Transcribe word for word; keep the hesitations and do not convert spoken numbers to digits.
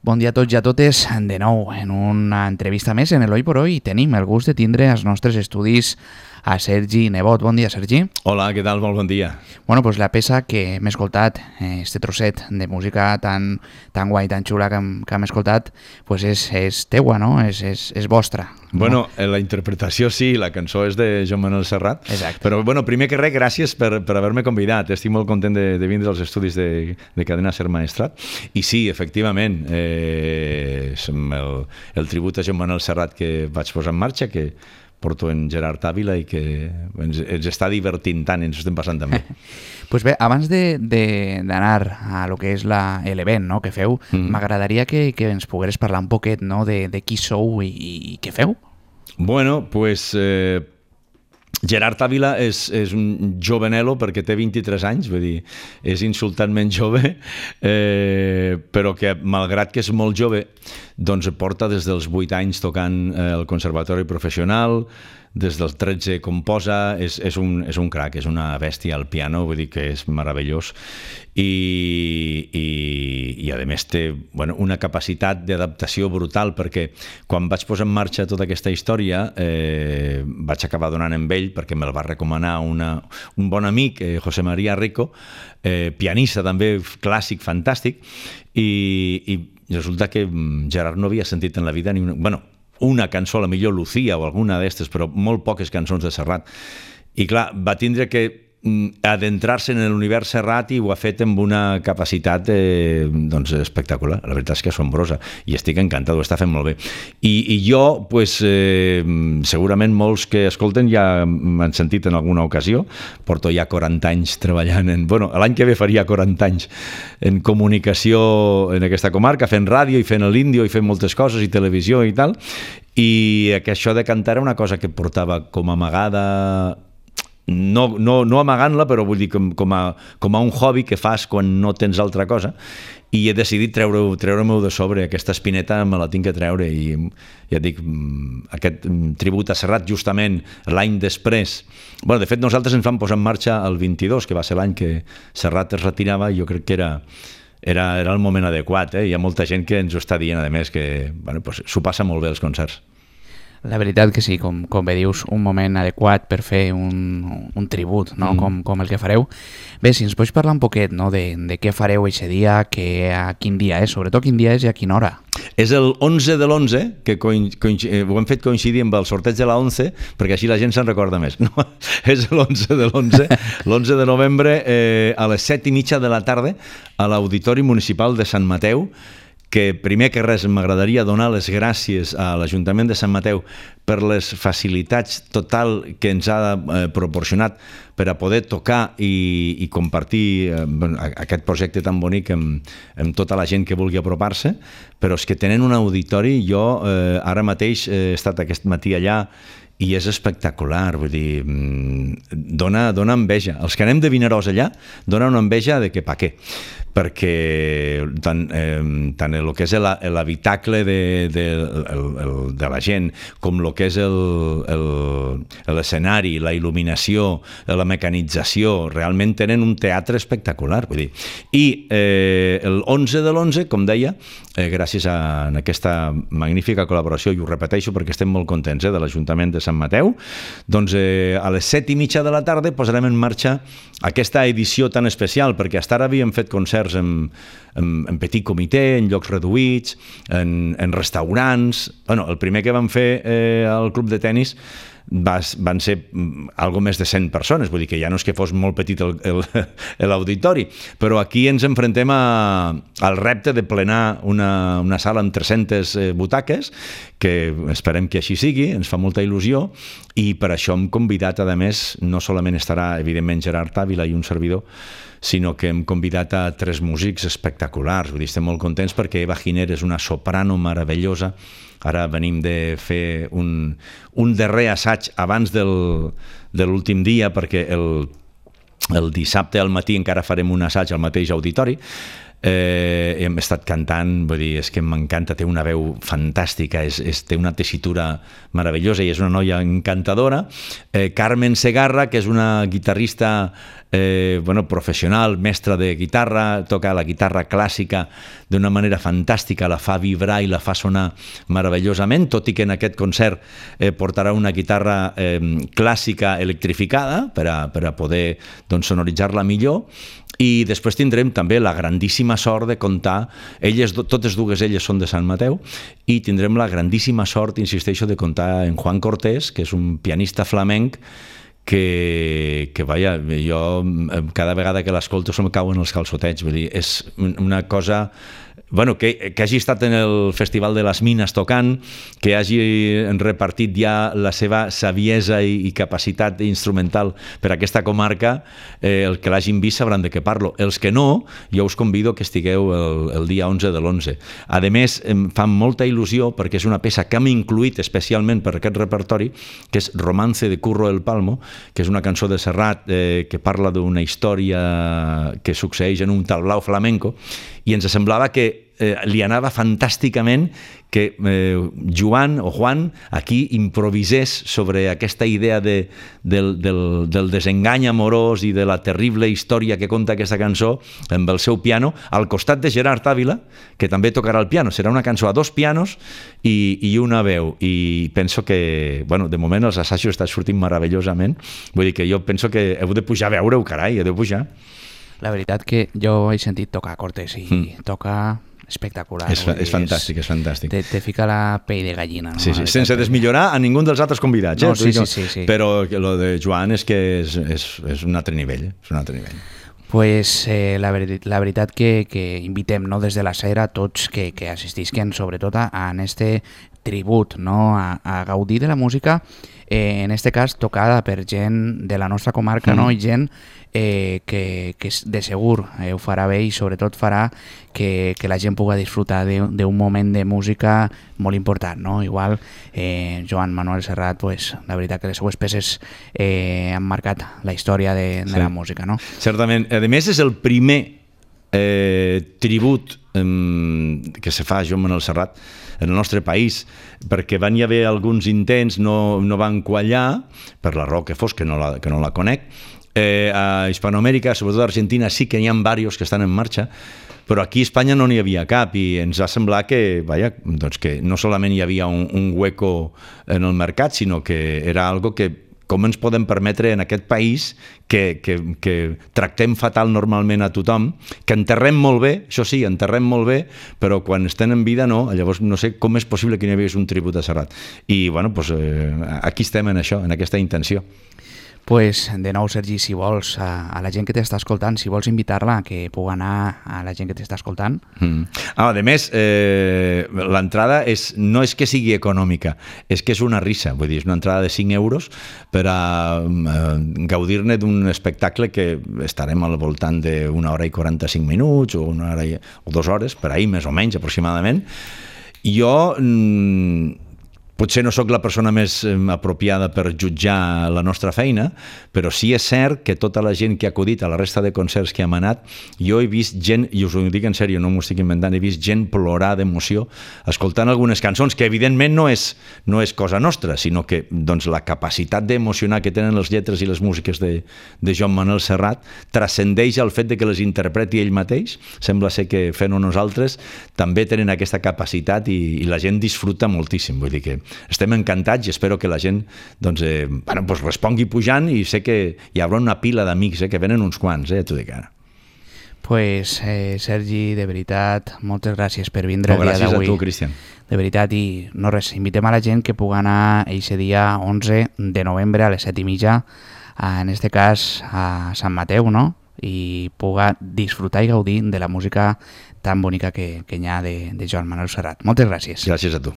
Bon dia a tots i a totes. De nou, en una entrevista més en l'Oi por Hoy tenim el gust de tindre als nostres estudis a Sergi Nebot. Bon dia, Sergi. Hola, què tal? Molt bon dia. Bueno, pues la peça que hem escoltat, este trosset de música tan, tan guai, tan xula que hem, que hem escoltat, pues és, és teua, no? És, és, és vostra. Bueno, no? La interpretació sí, la cançó és de Joan Manuel Serrat. Exacte. Però, bueno, primer que res, gràcies per, per haver-me convidat. Estic molt content de, de vindre als estudis de, de Cadena Ser Maestrat. I sí, efectivament, eh, el, el tribut a Joan Manuel Serrat que vaig posar en marxa, que porto en Gerard Ávila i que ens, ens està divertint tant, ens estem passant també. Pues bé, abans d'anar a lo que és l'event, no?, que feu, m'agradaria mm. que, que ens pogueres parlar un poquet, no?, de, de qui sou i, i què feu. Bueno, pues eh, Gerard Ávila és, és un jovenelo perquè té vint-i-tres anys, vull dir, és insultantment jove, eh, però que malgrat que és molt jove, doncs porta des dels vuit anys tocant eh, al Conservatori Professional, des dels tretze composa, és, és, un, és un crac, és una bèstia al piano, vull dir que és meravellós, i, i, i a més té bueno, una capacitat d'adaptació brutal, perquè quan vaig posar en marxa tota aquesta història eh, vaig acabar donant amb ell perquè me'l va recomanar una, un bon amic, eh, José María Rico, eh, pianista també, clàssic, fantàstic, i, i resulta que Gerard no havia sentit en la vida ni una... Bueno, una cançó, a la millor Lucía o alguna d'estes, però molt poques cançons de Serrat. I clar, va tindre que adentrar-se en l'univers Serrat i ho ha fet amb una capacitat eh, doncs espectacular, la veritat és que assombrosa, i estic encantat, ho està fent molt bé. I, i jo, pues, eh, segurament molts que escolten ja m'han sentit en alguna ocasió, porto ja quaranta anys treballant en... Bueno, l'any que ve faria quaranta anys en comunicació en aquesta comarca, fent ràdio i fent l'índio i fent moltes coses i televisió i tal, i que això de cantar era una cosa que portava com amagada... No, no, no amagant-la, però vull dir com, com, a, com a un hobby que fas quan no tens altra cosa, i he decidit treure-m'ho treure de sobre, aquesta espineta me la tinc que treure, i ja et dic, aquest tribut a Serrat justament l'any després, bueno, de fet nosaltres ens vam posar en marxa el vint-i-dos, que va ser l'any que Serrat es retirava, i jo crec que era era, era el moment adequat, eh? Hi ha molta gent que ens ho està dient, a més, que bueno, pues, s'ho passa molt bé els concerts. La veritat que sí, com, com bé dius, un moment adequat per fer un, un tribut, no? mm. com, com el que fareu. Bé, si ens pots parlar un poquet, no? de, de què fareu aquest dia, que, a quin dia és, sobretot quin dia és i a quina hora. És el onze de l'onze, que coincid... ho hem fet coincidir amb el sorteig de la onze, perquè així la gent se'n recorda més. No? És l'onze de l'onze, l'onze de novembre, eh, a les set i mitja de la tarda, a l'Auditori Municipal de Sant Mateu, que primer que res m'agradaria donar les gràcies a l'Ajuntament de Sant Mateu per les facilitats total que ens ha eh, proporcionat per a poder tocar i, i compartir eh, aquest projecte tan bonic amb, amb tota la gent que vulgui apropar-se, però és que tenen un auditori, jo eh, ara mateix he estat aquest matí allà i és espectacular, vull dir, dona, dona enveja. Els que anem de Vinaròs allà, dona una enveja de que pa què, perquè tant, eh, tant el que és l'habitacle de, de, el, el, de la gent com el que és l'escenari, la il·luminació, la mecanització, realment tenen un teatre espectacular, vull dir. I eh, el onze de l'onze, com deia, eh, gràcies a aquesta magnífica col·laboració, i ho repeteixo perquè estem molt contents eh, de l'Ajuntament de Sant Mateu, doncs eh, a les set i mitja de la tarda posarem en marxa aquesta edició tan especial, perquè fins ara havíem fet concerts en, en, en petit comitè, en llocs reduïts, en, en restaurants. Bueno, el primer que vam fer eh, al club de tennis va, van ser algo més de cent persones, vull dir que ja no és que fos molt petit l'auditori, però aquí ens enfrontem a, al repte de plenar una, una sala amb tres-centes butaques, que esperem que així sigui, ens fa molta il·lusió, i per això hem convidat, a més, no solament estarà, evidentment, Gerard Ávila i un servidor, sinó que hem convidat a tres músics espectaculars. Vull dir, estem molt contents perquè Eva Giner és una soprano meravellosa. Ara venim de fer un, un darrer assaig abans del, de l'últim dia, perquè el, el dissabte al matí encara farem un assaig al mateix auditori. eh, hem estat cantant, vull dir, és que m'encanta, té una veu fantàstica, és, és, té una tessitura meravellosa i és una noia encantadora. Eh, Carmen Segarra, que és una guitarrista Eh, bueno, professional, mestra de guitarra, toca la guitarra clàssica d'una manera fantàstica, la fa vibrar i la fa sonar meravellosament, tot i que en aquest concert eh, portarà una guitarra eh, clàssica electrificada per a, per a poder doncs, sonoritzar-la millor. I després tindrem també la grandíssima sort de comptar, elles, totes dues elles són de Sant Mateu, i tindrem la grandíssima sort, insisteixo, de comptar en Juan Cortés, que és un pianista flamenc que, que vaja, jo cada vegada que l'escolto se'm cauen els calçotets, vull dir, és una cosa... Bueno, que, que hagi estat en el Festival de les Mines tocant, que hagi repartit ja la seva saviesa i, i capacitat instrumental per a aquesta comarca, eh, el que l'hagin vist sabran de què parlo. Els que no, jo us convido que estigueu el, el dia onze de l'onze. A més, em fa molta il·lusió perquè és una peça que hem incluït especialment per aquest repertori, que és Romance de Curro el Palmo, que és una cançó de Serrat eh, que parla d'una història que succeeix en un tablao flamenco, i ens semblava que eh, li anava fantàsticament que eh, Joan o Juan aquí improvisés sobre aquesta idea de, del, del, del desengany amorós i de la terrible història que conta aquesta cançó amb el seu piano, al costat de Gerard Ávila, que també tocarà el piano. Serà una cançó a dos pianos i, i una veu, i penso que, bueno, de moment els assajos estan sortint meravellosament, vull dir que jo penso que heu de pujar a veure-ho, carai, heu de pujar. La veritat que jo he sentit tocar Cortés i mm. toca espectacular. És, fa, és fantàstic, és fantàstic. Te, te fica la pell de gallina. No? Sí, sí, sense desmillorar a ningú dels altres convidats. No, eh? sí, sí, sí, sí. Però lo de Joan és que és, és, és un altre nivell. És un altre nivell. Pues eh, la, ver la veritat que, que invitem, no, des de la Cera tots que, que assistisquen sobretot a, a este tribut, no, a, a gaudir de la música, eh, en este cas tocada per gent de la nostra comarca, mm. no, i gent eh, que, que de segur eh, ho farà bé i sobretot farà que, que la gent pugui disfrutar d'un moment de música molt important, no? Igual eh, Joan Manuel Serrat, pues, la veritat que les seues peces eh, han marcat la història de, de sí. la música, no? Certament. A més, és el primer eh, tribut eh, que se fa a Joan Manuel Serrat en el nostre país, perquè van hi haver alguns intents, no, no van quallar, per la raó que fos, que no la, que no la conec. Eh, a Hispanoamèrica, sobretot a Argentina, sí que n'hi ha diversos que estan en marxa, però aquí a Espanya no n'hi havia cap i ens va semblar que, vaja, doncs que no solament hi havia un, un hueco en el mercat, sinó que era algo que com ens podem permetre en aquest país que, que, que tractem fatal normalment a tothom, que enterrem molt bé, això sí, enterrem molt bé, però quan estem en vida no, llavors no sé com és possible que n'hi hagués un tribut a Serrat. I bueno, doncs, eh, aquí estem en això, en aquesta intenció. Pues, de nou, Sergi, si vols, a, a la gent que t'està escoltant, si vols invitar-la, que pugui anar a la gent que t'està escoltant. Mm. Ah, a més, eh, l'entrada és, no és que sigui econòmica, és que és una risa, vull dir, és una entrada de cinc euros per a eh, gaudir-ne d'un espectacle que estarem al voltant d'una hora i quaranta-cinc minuts o una hora i, o dues hores, per ahir més o menys aproximadament. Jo... Mm, potser no sóc la persona més apropiada per jutjar la nostra feina, però sí és cert que tota la gent que ha acudit a la resta de concerts que hem anat, jo he vist gent, i us ho dic en sèrio, no m'ho estic inventant, he vist gent plorar d'emoció escoltant algunes cançons, que evidentment no és, no és cosa nostra, sinó que doncs, la capacitat d'emocionar que tenen les lletres i les músiques de, de Joan Manuel Serrat transcendeix el fet de que les interpreti ell mateix. Sembla ser que fent-ho nosaltres també tenen aquesta capacitat i, i la gent disfruta moltíssim, vull dir que estem encantats i espero que la gent doncs, eh, bueno, doncs respongui pujant i sé que hi haurà una pila d'amics, eh, que venen uns quants, eh, t'ho dic ara. Pues, eh, Sergi, de veritat, moltes gràcies per vindre no, el dia d'avui. Gràcies a tu, Cristian. De veritat, i no res, invitem a la gent que pugui anar eixe dia onze de novembre a les set i mitja, en este cas a Sant Mateu, no? I pugui disfrutar i gaudir de la música tan bonica que, que hi ha de, de Joan Manuel Serrat. Moltes gràcies. Gràcies a tu.